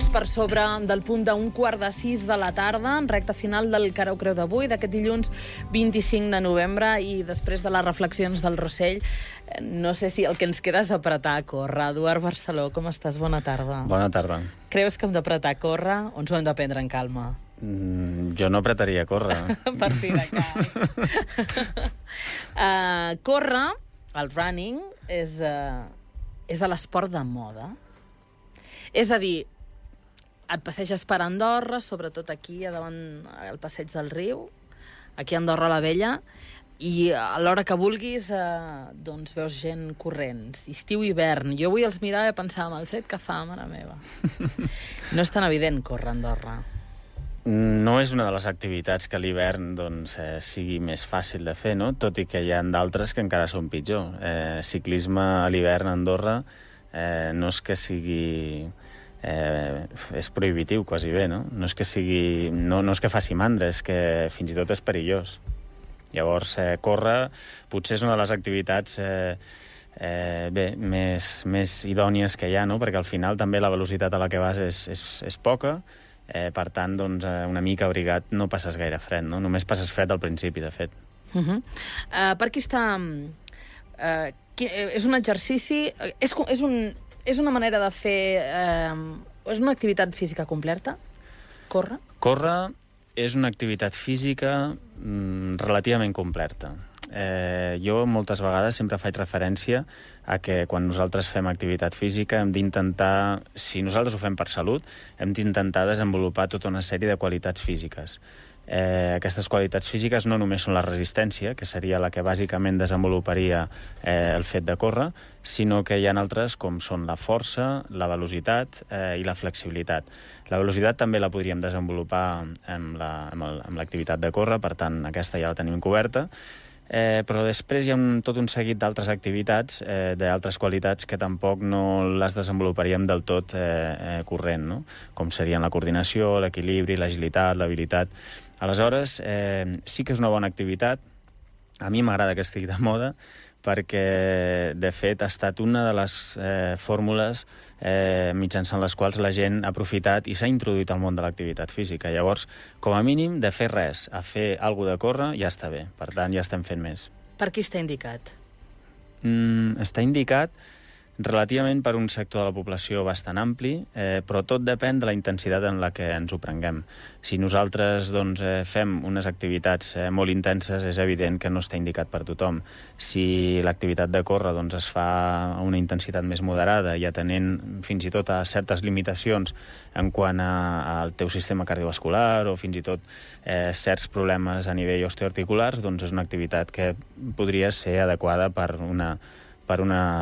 minuts per sobre del punt d'un 5:15 de la tarda, en recta final del Cara o Creu d'avui, d'aquest dilluns 25 de novembre, i després de les reflexions del Rossell, no sé si el que ens queda és apretar a córrer. Eduard Barceló, com estàs? Bona tarda. Bona tarda. Creus que hem d'apretar a córrer o ens ho hem de prendre en calma? Jo no apretaria a córrer. Per si de cas. Córrer, el running, és a l'esport de moda. És a dir, et passeges per Andorra, sobretot aquí, a davant al passeig del riu, aquí a Andorra la Vella, i a l'hora que vulguis doncs veus gent corrent, estiu i hivern. Jo avui els mirava i pensava, el fred que fa, mare meva. No és tan evident córrer a Andorra. No és una de les activitats que a l'hivern doncs, sigui més fàcil de fer, no? Tot i que hi ha d'altres que encara són pitjor. Ciclisme a l'hivern a Andorra no és que sigui... és prohibitiu, quasi bé, no? No és que sigui... No és que faci mandra, és que fins i tot és perillós. Llavors, córrer potser és una de les activitats més idònies que hi ha, no? Perquè al final també la velocitat a la que vas és poca, per tant, doncs, una mica abrigat no passes gaire fred, no? Només passes fred al principi, de fet. Per aquí està... és un exercici... És una manera de fer... és una activitat física completa? Córrer? Córrer és una activitat física relativament completa. Jo moltes vegades sempre faig referència a que quan nosaltres fem activitat física hem d'intentar, si nosaltres ho fem per salut, hem d'intentar desenvolupar tota una sèrie de qualitats físiques. Aquestes qualitats físiques no només són la resistència, que seria la que bàsicament desenvoluparia el fet de córrer, sinó que hi ha altres com són la força, la velocitat i la flexibilitat. La velocitat també la podríem desenvolupar amb l'activitat de córrer, per tant aquesta ja la tenim coberta, però després hi ha tot un seguit d'altres activitats, d'altres qualitats que tampoc no les desenvoluparíem del tot corrent, no? Com serien la coordinació, l'equilibri, l'agilitat, l'habilitat. Aleshores, sí que és una bona activitat. A mi m'agrada que estigui de moda perquè, de fet, ha estat una de les fórmules mitjançant les quals la gent ha aprofitat i s'ha introduït al món de l'activitat física. Llavors, com a mínim, de fer res a fer alguna cosa de córrer ja està bé. Per tant, ja estem fent més. Per qui està indicat? Està indicat relativament per un sector de la població bastant ampli, però tot depèn de la intensitat en la que ens ho prenguem. Si nosaltres doncs, fem unes activitats molt intenses, és evident que no està indicat per tothom. Si l'activitat de córrer doncs, es fa a una intensitat més moderada i atenent fins i tot a certes limitacions en quant al teu sistema cardiovascular o fins i tot certs problemes a nivell osteoarticulars, doncs és una activitat que podria ser adequada per una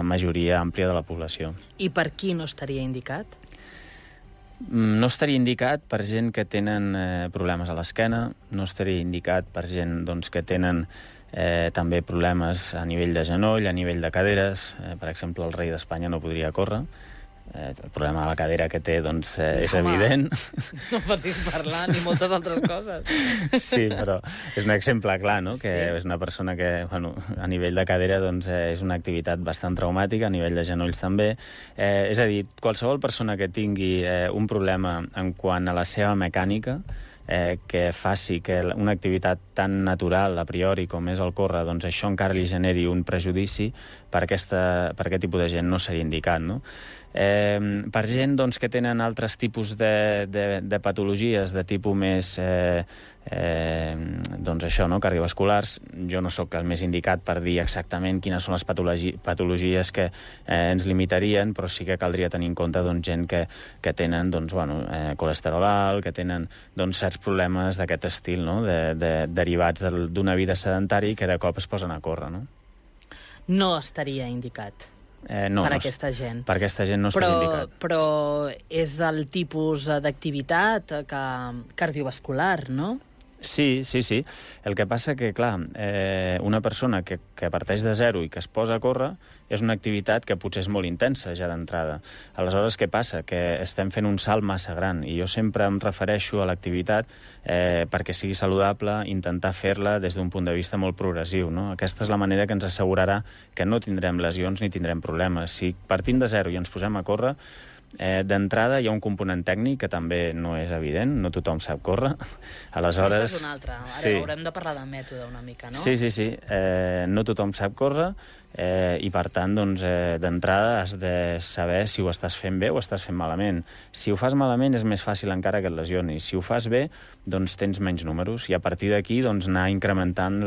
majoria àmplia de la població. I per qui no estaria indicat? No estaria indicat per gent que tenen problemes a l'esquena, no estaria indicat per gent doncs, que tenen també problemes a nivell de genoll, a nivell de caderes. Per exemple, el rei d'Espanya no podria córrer. El problema de la cadera que té doncs, és evident. No passis parlar ni moltes altres coses. Sí, però és un exemple clar, no? Que és una persona que, bueno, a nivell de cadera doncs, és una activitat bastant traumàtica, a nivell de genolls també. És a dir, qualsevol persona que tingui un problema en quant a la seva mecànica, que faci que una activitat tan natural a priori com és el córrer, doncs això encara li generi un prejudici, per aquest tipus de gent no seria indicat, no? Per gent doncs, que tenen altres tipus de patologies de tipus més doncs això, no? Cardiovasculars, jo no sóc el més indicat per dir exactament quines són les patologies que ens limitarien, però sí que caldria tenir en compte doncs, gent que tenen doncs, bueno, colesterol alt, que tenen doncs, certs problemes d'aquest estil, no? Derivats d'una vida sedentària i que de cop es posen a córrer, no? No estaria indicat. No, per aquesta gent. Per aquesta gent no estaria indicat. Però és del tipus d'activitat cardiovascular, no? Sí. El que passa que, clar, una persona que parteix de zero i que es posa a córrer és una activitat que potser és molt intensa ja d'entrada. Aleshores, què passa? Que estem fent un salt massa gran i jo sempre em refereixo a l'activitat perquè sigui saludable, intentar fer-la des d'un punt de vista molt progressiu, no? Aquesta és la manera que ens assegurarà que no tindrem lesions ni tindrem problemes. Si partim de zero i ens posem a córrer, D'entrada hi ha un component tècnic que també no és evident, no tothom sap córrer. Aleshores... Aquesta és una altra. Ara haurem de parlar de mètode una mica, no? Sí. No tothom sap córrer i, per tant, doncs, d'entrada has de saber si ho estàs fent bé o estàs fent malament. Si ho fas malament és més fàcil encara que et lesionis. Si ho fas bé, doncs tens menys números i a partir d'aquí doncs, anar incrementant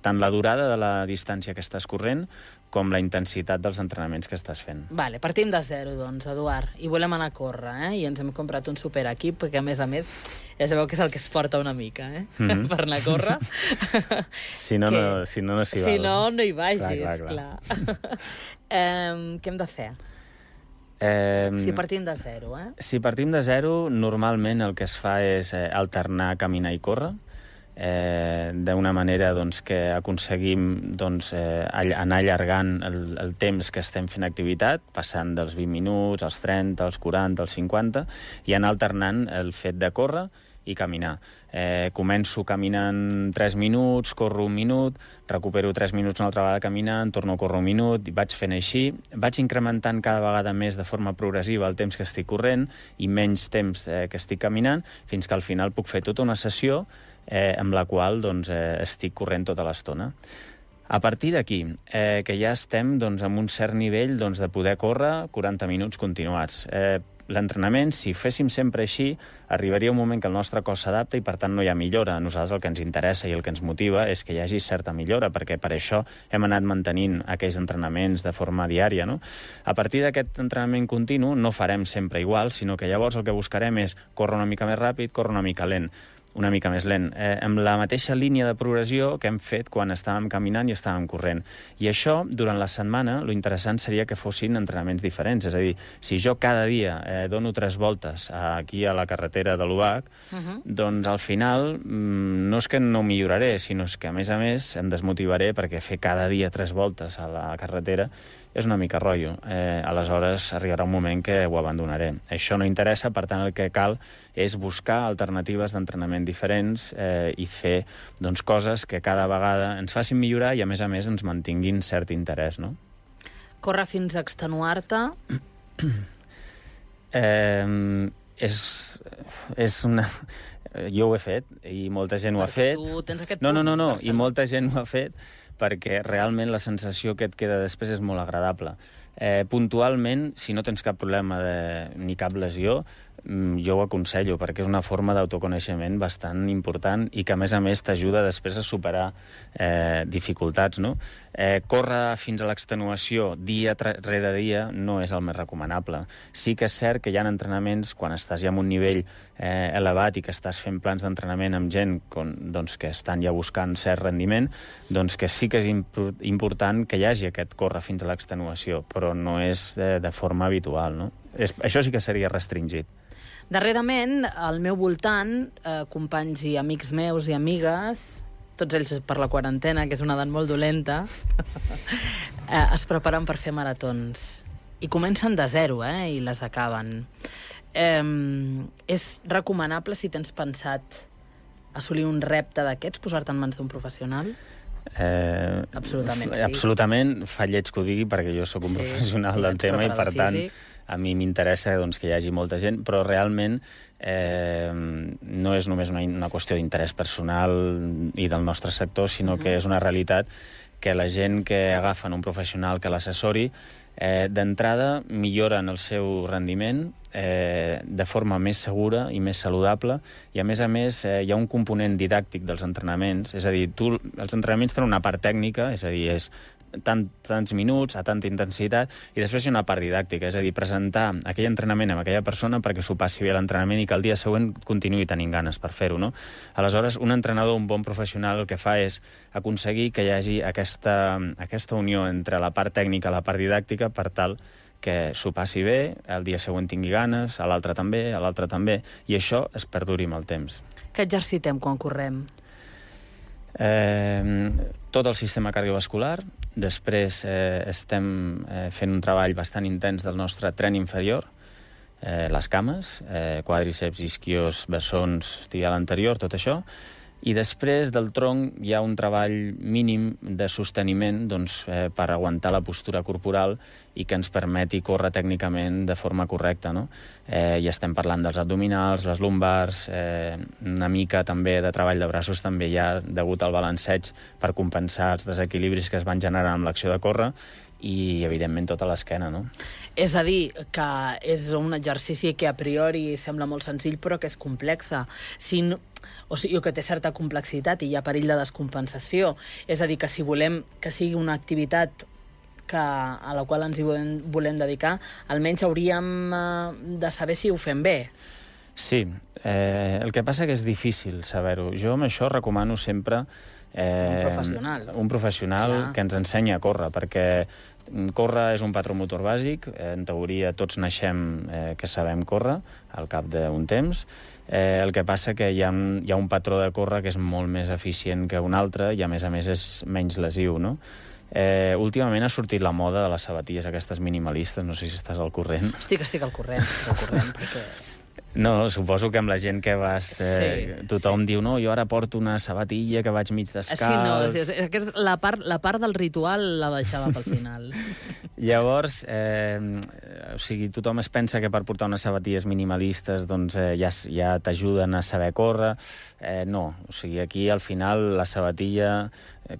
tant la durada de la distància que estàs corrent com la intensitat dels entrenaments que estàs fent. Vale, partim de zero, doncs, Eduard. I volem anar a córrer, I ens hem comprat un superequip, perquè, a més, ja sabeu que és el que es porta una mica, per anar a córrer. Si no, no s'hi val. Si no, no hi vagis, clar. Què hem de fer? Si partim de zero, Si partim de zero, normalment el que es fa és alternar caminar i córrer, d'una manera doncs, que aconseguim doncs, anar allargant el temps que estem fent activitat, passant dels 20 minuts, als 30, als 40, als 50, i anar alternant el fet de córrer i caminar. Començo caminant 3 minuts, corro 1 minut, recupero 3 minuts una altra vegada caminant, torno a córrer 1 minut, i vaig fent així. Vaig incrementant cada vegada més de forma progressiva el temps que estic corrent i menys temps que estic caminant, fins que al final puc fer tota una sessió amb la qual doncs, estic corrent tota l'estona. A partir d'aquí, que ja estem doncs, amb un cert nivell doncs, de poder córrer 40 minuts continuats. L'entrenament, si féssim sempre així, arribaria un moment que el nostre cos s'adapta i, per tant, no hi ha millora. A nosaltres el que ens interessa i el que ens motiva és que hi hagi certa millora, perquè per això hem anat mantenint aquells entrenaments de forma diària, no? A partir d'aquest entrenament continu no farem sempre igual, sinó que llavors el que buscarem és córrer una mica més ràpid, córrer una mica més lent, amb la mateixa línia de progressió que hem fet quan estàvem caminant i estàvem corrent. I això, durant la setmana, lo interessant seria que fossin entrenaments diferents. És a dir, si jo cada dia dono 3 voltes aquí a la carretera de l'UBAC, doncs al final no és que no milloraré, sinó que a més em desmotivaré perquè fer cada dia 3 voltes a la carretera és una mica rotllo. Aleshores arribarà un moment que ho abandonaré. Això no interessa, per tant el que cal és buscar alternatives d'entrenament diferents i fer doncs, coses que cada vegada ens facin millorar i a més ens mantinguin cert interès, no? Córrer fins a extenuar-te? És una... Jo ho he fet i molta gent ho ha fet. Tu tens aquest punt. No, i molta gent ho ha fet perquè realment la sensació que et queda després és molt agradable. Puntualment, si no tens cap problema ni cap lesió, jo ho aconsello, perquè és una forma d'autoconeixement bastant important i que, a més t'ajuda després a superar dificultats, no? Córrer fins a l'extenuació dia rere dia no és el més recomanable. Sí que és cert que hi ha entrenaments, quan estàs ja en un nivell elevat i que estàs fent plans d'entrenament amb gent doncs, que estan ja buscant cert rendiment, doncs que sí que és important que hi hagi aquest córrer fins a l'extenuació, però no és de forma habitual, no? Això sí que seria restringit. Darrerament, al meu voltant, companys i amics meus i amigues, tots ells per la quarantena, que és una edat molt dolenta, es preparen per fer maratons. I comencen de zero, i les acaben. És recomanable, si tens pensat assolir un repte d'aquests, posar-te en mans d'un professional? Absolutament, sí. Absolutament, fa lleig que ho digui, perquè jo sóc un professional del tema i, per tant, a mi m'interessa doncs, que hi hagi molta gent, però realment no és només una qüestió d'interès personal i del nostre sector, sinó que és una realitat que la gent que agafen un professional que l'assessori, d'entrada milloren el seu rendiment de forma més segura i més saludable, i a més hi ha un component didàctic dels entrenaments, és a dir, els entrenaments tenen una part tècnica, és a dir, és tants minuts, a tanta intensitat, i després hi ha una part didàctica, és a dir, presentar aquell entrenament amb aquella persona perquè s'ho passi bé l'entrenament i que el dia següent continuï tenint ganes per fer-ho, no? Aleshores, un entrenador, un bon professional, el que fa és aconseguir que hi hagi aquesta unió entre la part tècnica i la part didàctica per tal que s'ho passi bé, el dia següent tingui ganes, a l'altre també, i això es perduri amb el temps. Què exercitem quan correm? Tot el sistema cardiovascular. Després estem fent un treball bastant intens del nostre tren inferior, les cames, quàdriceps, isquios, bessons, tibial anterior, tot això. I després del tronc hi ha un treball mínim de sosteniment per aguantar la postura corporal i que ens permeti córrer tècnicament de forma correcta, no? I estem parlant dels abdominals, les lumbars, una mica també de treball de braços també hi ha degut al balanceig per compensar els desequilibris que es van generar amb l'acció de córrer i, evidentment, tota l'esquena, no? És a dir, que és un exercici que a priori sembla molt senzill, però que és complexa. O sigui, que té certa complexitat i hi ha perill de descompensació. És a dir, que si volem que sigui una activitat a la qual ens hi volem dedicar, almenys hauríem de saber si ho fem bé. Sí, el que passa que és difícil saber-ho. Jo amb això recomano sempre un professional que ens ensenya a córrer, perquè córrer és un patró motor bàsic, en teoria tots naixem que sabem córrer al cap d'un temps. El que passa que hi ha un patró de córrer que és molt més eficient que un altre i a més és menys lesiu, no? Últimament ha sortit la moda de les sabatilles aquestes minimalistes, no sé si estàs al corrent. Estic al corrent, perquè... No, suposo que amb la gent que vas... tothom diu, no, jo ara porto una sabatilla que vaig mig descalç... Sí, no, la part del ritual la deixava pel final. Llavors, o sigui, tothom es pensa que per portar unes sabatilles minimalistes doncs ja t'ajuden a saber córrer. No, o sigui, aquí al final la sabatilla,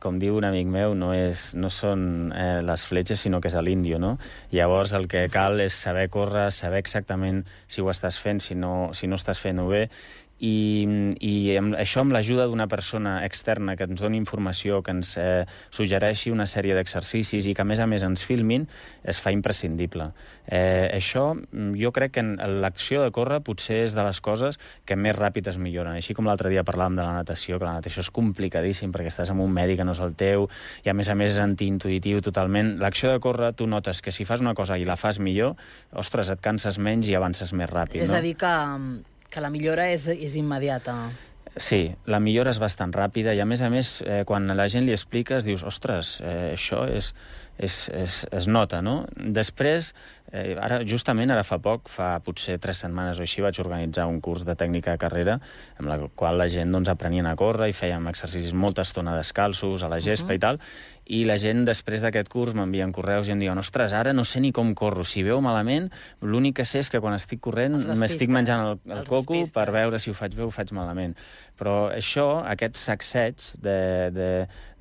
com diu un amic meu, no són les fletxes, sinó que és l'índio, no? Llavors el que cal és saber córrer, saber exactament si ho estàs fent, si no estàs fent-ho bé, i això amb l'ajuda d'una persona externa que ens doni informació, que ens suggereixi una sèrie d'exercicis i que a més ens filmin, es fa imprescindible. Això, jo crec que l'acció de córrer potser és de les coses que més ràpid es milloren. Així com l'altre dia parlàvem de la natació, que la natació és complicadíssim perquè estàs amb un medi que no és el teu i a més és antiintuïtiu totalment. L'acció de córrer, tu notes que si fas una cosa i la fas millor, ostres, et canses menys i avances més ràpid, no? És a dir, que la millora és immediata. Sí, la millora és bastant ràpida i a més, quan a la gent li expliques, dius, ostres, això es nota, no? Després, justament ara fa potser 3 setmanes o així, vaig organitzar un curs de tècnica de carrera amb la qual la gent aprenien a córrer i fèiem exercicis molta estona descalços, a la gespa i tal, i la gent després d'aquest curs m'envien correus i em diuen, ostres, ara no sé ni com corro, si veu malament, l'únic que sé és que quan estic corrent m'estic menjant el coco per veure si ho faig bé o ho faig malament. Però aquest sacseig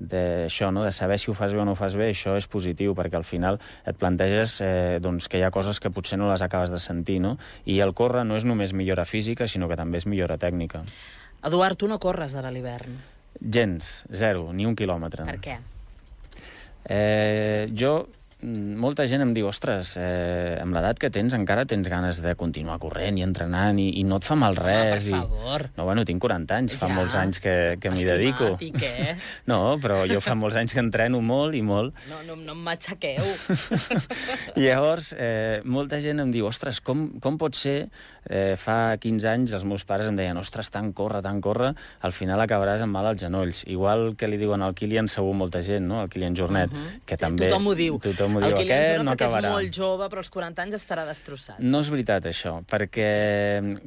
d'això, no? De saber si ho fas bé o no ho fas bé, això és positiu, perquè al final et planteges que hi ha coses que potser no les acabes de sentir, no? I el córrer no és només millora física, sinó que també és millora tècnica. Eduard, tu no corres ara a l'hivern? Gens, 0, ni 1 quilòmetre. Per què? Molta gent em diu, ostres, amb l'edat que tens encara tens ganes de continuar corrent i entrenant i no et fa mal res. Per favor. No, bueno, tinc 40 anys, fa molts anys que m'hi dedico. Estimat, i què? No, però jo fa molts anys que entreno molt i molt. No em matxaqueu. Llavors, molta gent em diu, ostres, com pot ser? Fa 15 anys els meus pares em deien, ostres, tant córrer, al final acabaràs amb mal als genolls. Igual que li diuen al Kilian segur molta gent, no? Al Kilian Jornet, que també... Tothom ho diu. El Kilian no acabarà. És molt jove, però als 40 anys estarà destrossat. No és veritat, això, perquè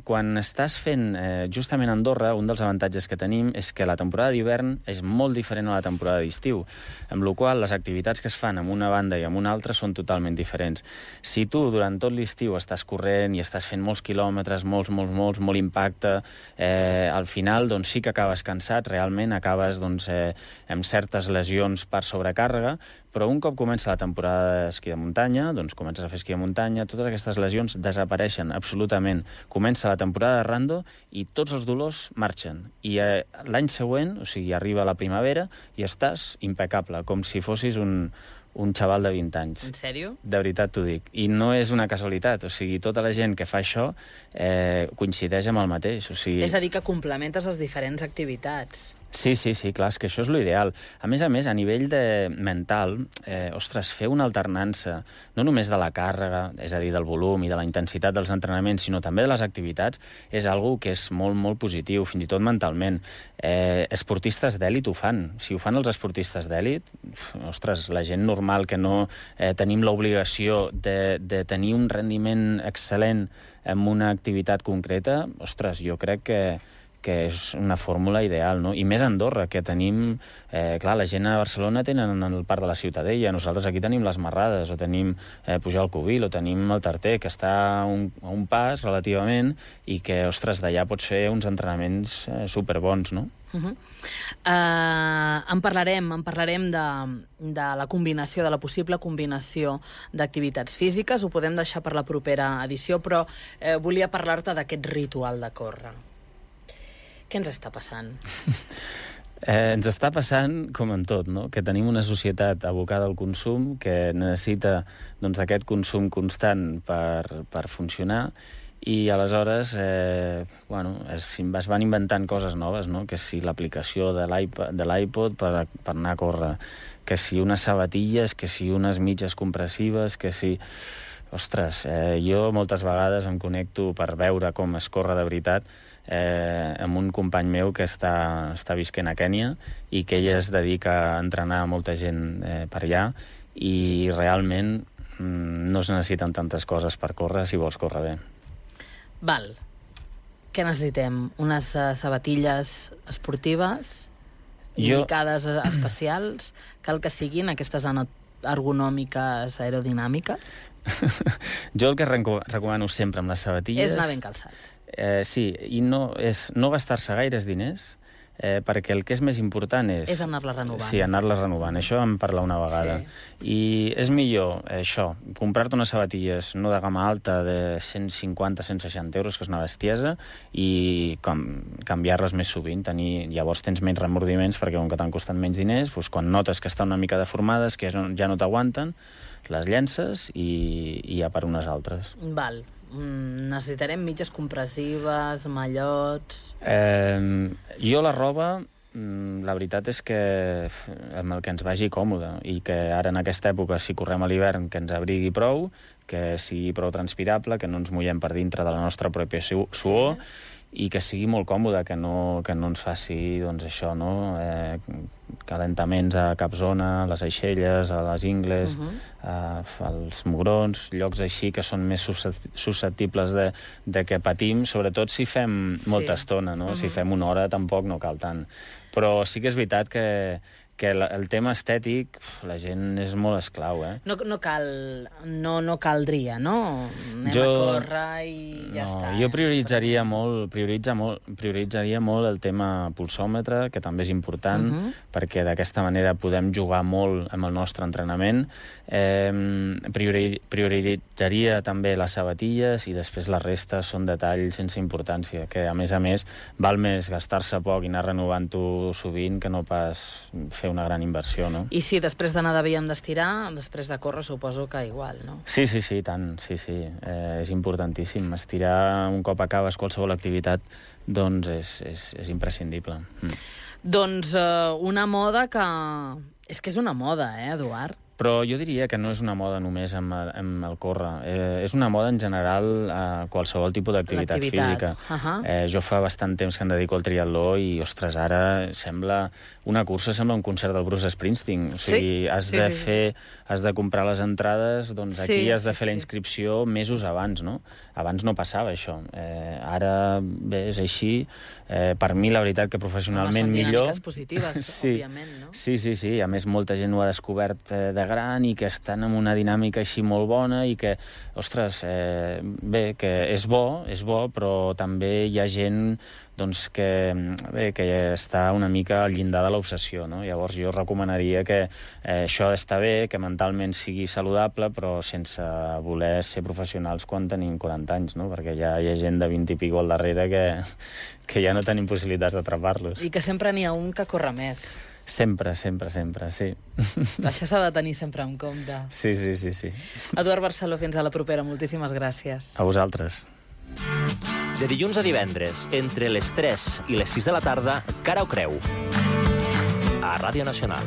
quan estàs fent justament a Andorra, un dels avantatges que tenim és que la temporada d'hivern és molt diferent a la temporada d'estiu, amb la qual les activitats que es fan en una banda i en una altra són totalment diferents. Si tu durant tot l'estiu estàs corrent i estàs fent molts quilòmetres, molt impacte, al final doncs, sí que acabes cansat, realment acabes amb certes lesions per sobrecàrrega, però un cop comença la temporada d'esquí de muntanya, doncs comences a fer esquí de muntanya, totes aquestes lesions desapareixen absolutament. Comença la temporada de rando i tots els dolors marxen. I l'any següent, o sigui, arriba la primavera i estàs impecable, com si fossis un xaval de 20 anys. En sèrio? De veritat t'ho dic. I no és una casualitat, o sigui, tota la gent que fa això coincideix amb el mateix. O sigui... És a dir, que complementes les diferents activitats. Sí, clar, és que això és l'ideal. A més, a nivell mental, ostres, fer una alternança, no només de la càrrega, és a dir, del volum i de la intensitat dels entrenaments, sinó també de les activitats, és algo que és molt, molt positiu, fins i tot mentalment. Esportistes d'èlit ho fan. Si ho fan els esportistes d'èlit, ostres, la gent normal que no tenim l'obligació de tenir un rendiment excel·lent en una activitat concreta, ostres, jo crec que que és una fórmula ideal, no? I més a Andorra, que tenim... clar, la gent a Barcelona tenen el Parc de la Ciutadella, nosaltres aquí tenim les Marrades, o tenim pujar al Cubil, o tenim el Tarter, que està a un pas relativament, i que, ostres, d'allà pots fer uns entrenaments superbons, no? En parlarem de la combinació, de la possible combinació d'activitats físiques. Ho podem deixar per la propera edició, però volia parlar-te d'aquest ritual de córrer. Què ens està passant? Ens està passant com en tot, no? Que tenim una societat abocada al consum que necessita aquest consum constant per funcionar, i aleshores es van inventant coses noves, no? Que si l'aplicació de l'iPod per anar a córrer, que si unes sabatilles, que si unes mitges compressives, que si... Ostres, jo moltes vegades em connecto per veure com es corre de veritat amb un company meu que està visquent a Kènia i que ell es dedica a entrenar molta gent per allà, i realment no es necessiten tantes coses per córrer si vols córrer bé. Val. Què necessitem? Unes sabatilles esportives indicades especials? Cal que siguin aquestes ergonòmiques aerodinàmiques? Jo el que recomano sempre amb les sabatilles... És anar ben calçat. Sí, i no gastar-se gaires diners, perquè el que és més important és... És anar-la renovant. Sí, anar-la renovant. Això vam parlar una vegada. Sí. I és millor, comprar-te unes sabatilles no de gamma alta de 150-160 euros, que és una bestiesa, i canviar-les més sovint. Llavors tens menys remordiments, perquè com que t'han costat menys diners, doncs quan notes que estan una mica deformades, que ja no t'aguanten, les llences i ja per unes altres. Val. Necessitarem mitges compressives, mallots... Jo la roba, la veritat és que amb el que ens vagi còmode, i que ara en aquesta època, si correm a l'hivern, que ens abrigui prou, que sigui prou transpirable, que no ens mullem per dintre de la nostra pròpia suor, i que sigui molt còmode, que no ens faci, doncs, això, no? Calentaments a cap zona, a les aixelles, a les ingles, als mugrons, llocs així que són més susceptibles de que patim, sobretot si fem molta estona, no? Si fem una hora tampoc no cal tant. Però sí que és veritat que el tema estètic, la gent és molt esclau, No caldria, no? Anem a córrer i ja està. Jo prioritzaria molt el tema pulsòmetre, que també és important, perquè d'aquesta manera podem jugar molt amb el nostre entrenament. Prioritzaria també les sabatilles, i després la resta són detalls sense importància, que a més val més gastar-se poc i anar renovant-ho sovint que no pas fer una gran inversió, no? I si després d'anar de via hem d'estirar, després de córrer suposo que igual, no? Sí, tant, sí. És importantíssim. Estirar un cop acabes qualsevol activitat, doncs és imprescindible. Doncs una moda que... És que és una moda, Eduard? Però jo diria que no és una moda només amb el córrer. És una moda en general a qualsevol tipus d'activitat física. Jo fa bastant temps que em dedico al triatló i, ostres, ara una cursa sembla un concert del Bruce Springsteen. O sigui, has de comprar les entrades, doncs aquí has de fer la inscripció mesos abans, no? Abans no passava això. Ara, bé, és així. Per mi, la veritat, que professionalment millor... Són dinàmiques positives, òbviament, no? Sí. A més, molta gent ho ha descobert de gran i que estan en una dinàmica així molt bona i que, ostres, bé, que és bo, però també hi ha gent doncs, que està una mica al llindar de l'obsessió, no? Llavors jo recomanaria que això està bé, que mentalment sigui saludable, però sense voler ser professionals quan tenim 40 anys, no? Perquè ja hi ha gent de 20 i pico al darrere que ja no tenim possibilitats d'atrapar-los. I que sempre n'hi ha un que corre més. Sempre, sí. Això s'ha de tenir sempre en compte. Sí. Eduard Barceló, fins a la propera. Moltíssimes gràcies. A vosaltres. De dilluns a divendres, entre les 3 i les 6 de la tarda, Cara o Creu, a Ràdio Nacional.